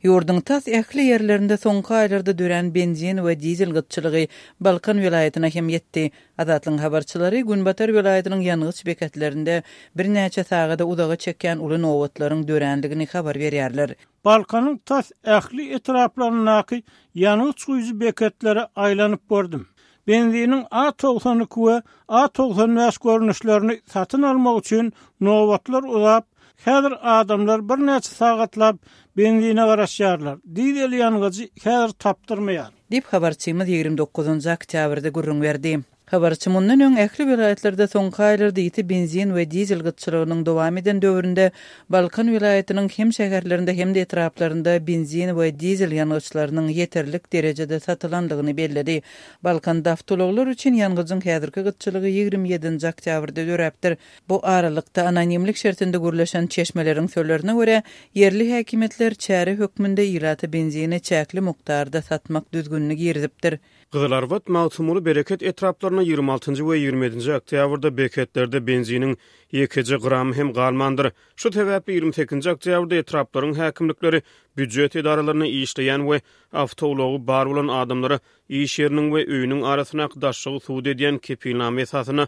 Ýurduň tas ähli ýerlerinde soňky aýlarda dörän benzin we dizel gytçylygy Balkan welaýatyna hem ýetdi. Azatlygyň habarçylary günbatar welaýatynyň ýangyç beketlerinde birnäçe sagada uzaga çekýän uly nobatlaryň dörändigini habar berýärler. Balkanyň tas ähli etraplaryndaky ýangyç guýujy beketlere aýlanyp gördüm. Benziniň A 92 we A 95 görnüşlerini satyn almak üçin nobatlar uzap, häzir adamlar birnäçe sagatlap benzine garaşýarlar, dizel ýangyjy häzir tapdyrmaýar. Diýip, habarçymyz 29 oktýabrda gürrüň berdi. Habarçy mundan öň ähli welaýatlarda soňky aýlarda ýiti benzin we dizel gytçylygynyň dowam eden döwründe Balkan welaýatynyň hem şäherlerinde hem-de etraplarynda benzin we dizel ýangyçlarynyň ýeterlik derejede satylandygyny belledi. Balkanda awtoulaglar üçin ýangyjyň häzirki gytçylygy 27-nji oktýabrda döräpdir. Bu aralykda, anonimlik şertinde gürleşen çeşmeleriň sözlerine görä, ýerli häkimiýetler çäre hökmünde ilata benzini çäkli mukdarda satmak düzgünini girizipdir. Gyzylarbat, Magtymguly, Bereket etraplarynda 26-njy we 27-nji oktýabrda beketlerde benziniň ýekeje gramy hem galmandyr. Şu sebäpli 28-nji oktýabrda etraplaryň häkimlikleri býujet edaralarynda işleýän we awtoulagy bar bolan adamlara iş ýeriniň we öýüniň arasyndaky daşlygy subut edýän kepilnama esasynda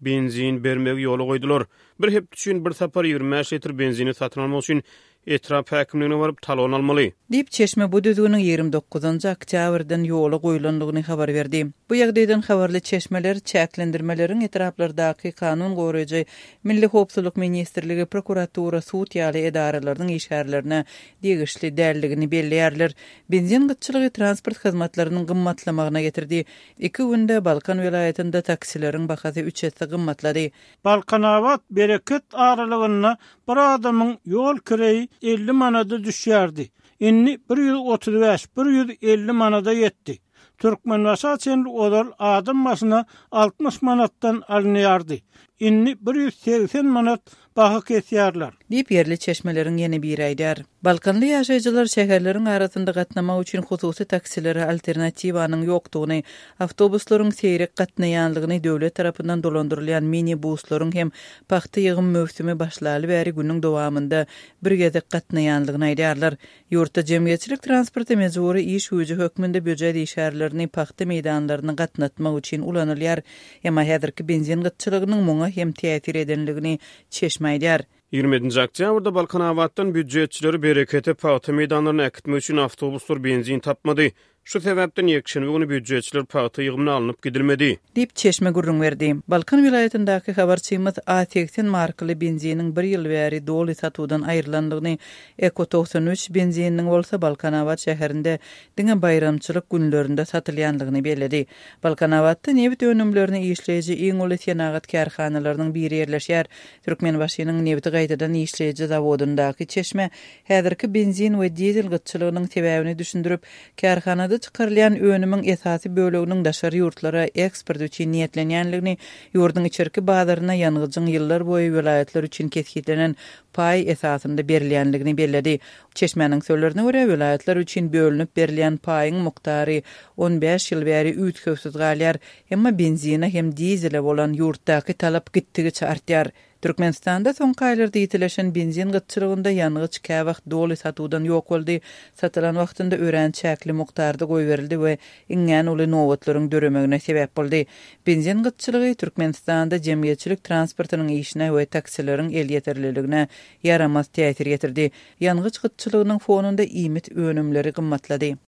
benzin bermegi ýola goýdular. Bir hepde üçin bir sapar 25 litr benzini satyn almak üçin etrap häkimligine baryp talon almaly. Diýip, çeşme bu düzgüniň 29-njy oktýabrdan ýola goýlandygyny habar berdi. Bu ýagdaýdan habarly çeşmeler çäklendirmeleriň etraplardaky kanun goraýjy, Milli howpsuzlyk ministrligi, prokuratura, sud ýaly edaralarynyň işgärlerine degişli däldigini belleýärler. Benzin gytçylygy transport hyzmatlarynyň gymmatlamagyna getirdi. Iki günde Balkan welaýatynda taksileriň bahasy üç esse gymmatlady. Balkanabat, Bereket aralygynda bir adamyň ýol kireýi 50 manada düşýärdi. Indi 135, 150 manada ýetdi. Türkmenbaşa çenli ozal adam başyna 60 manatdan alynýardy. Indi 180 manat baha kesýärler. Diýip, ýerli çeşmeleriň ýene biri aýdýar. Balkanly ýaşaýjylar şäherleriň arasynda gatnamak üçin hususy taksilere alternatiwanyň ýokdugyny, awtobuslaryň seýrek gatnaýanlygyny, döwlet tarapyndan dolandyrylýan mini-buslaryň hem pagta ýygym möwsümi başlaly bäri günüň dowamynda bir gezek gatnaýanlygyny aýdýarlar. Ýurtda jemgyýetçilik transporty mejbury iş güýji hökmünde býujet işgärlerini pagta meýdanlaryna gatnatmak üçin ulanylýar. Emma häzirki benzin gytçylygynyň muňa hem täsir edenligini çeşme aýdýar. 27-nji oktýabrda Balkanabatdan býujetçileri Berekete pagta meýdanlaryna äkitmek üçin awtobuslar benzin tapmady. Şu sebäpden ýekşenbe güni býujetçiler pagta ýygymyna alnyp gidilmedi. Diýip, çeşme gürrüň berdi. Balkan welaýatyndaky habarçymyz A 80 markaly benziniň bir ýyl bäri doly satuwdan aýrylandygyny, Eko 93 benzininiň bolsa Balkanabat şäherinde diňe baýramçylyk günlerinde satylýandygyny belledi. Balkanabatda nebit önümlerini işleýji iň uly senagat kärhanalarynyň biri ýerleşýär. Türkmenbaşynyň nebiti gaýtadan işleýji zawodyndaky çeşme häzirki benzin we dizel gytçylygynyň sebäbini düşündirip, kärhanada çykarylýan önümiň esasy böleginiň daşary ýurtlara eksport üçin niýetlenýändigini, ýurduň içerki bazaryna ýangyjyň ýyllar boýy welaýatlar üçin kesgitlenen paý esasynda berilýändigini belledi. Çeşmäniň sözlerine görä, welaýatlar üçin bölünip berilýän paýyň mukdary 15 ýyl bäri üýtgewsiz galýar, emma benzine hem dizele bolan ýurtdaky talap gitdigiçe artýar. Türkmenistanda soňky aýlarda ýitileşen benzin gytçylygynda ýangyç käwagt doly satuwdan ýok boldy, satylan wagtynda örän çäkli mukdarda goýberildi we iňňän uly nobatlaryň döremegine sebäp boldy. Benzin gytçylygy Türkmenistanda jemgyýetçilik transportynyň işine we taksileriň elýeterliligine ýaramaz täsir ýetirdi. Ýangyç gytçylygynyň fonunda iýmit önümleri gymmatlady.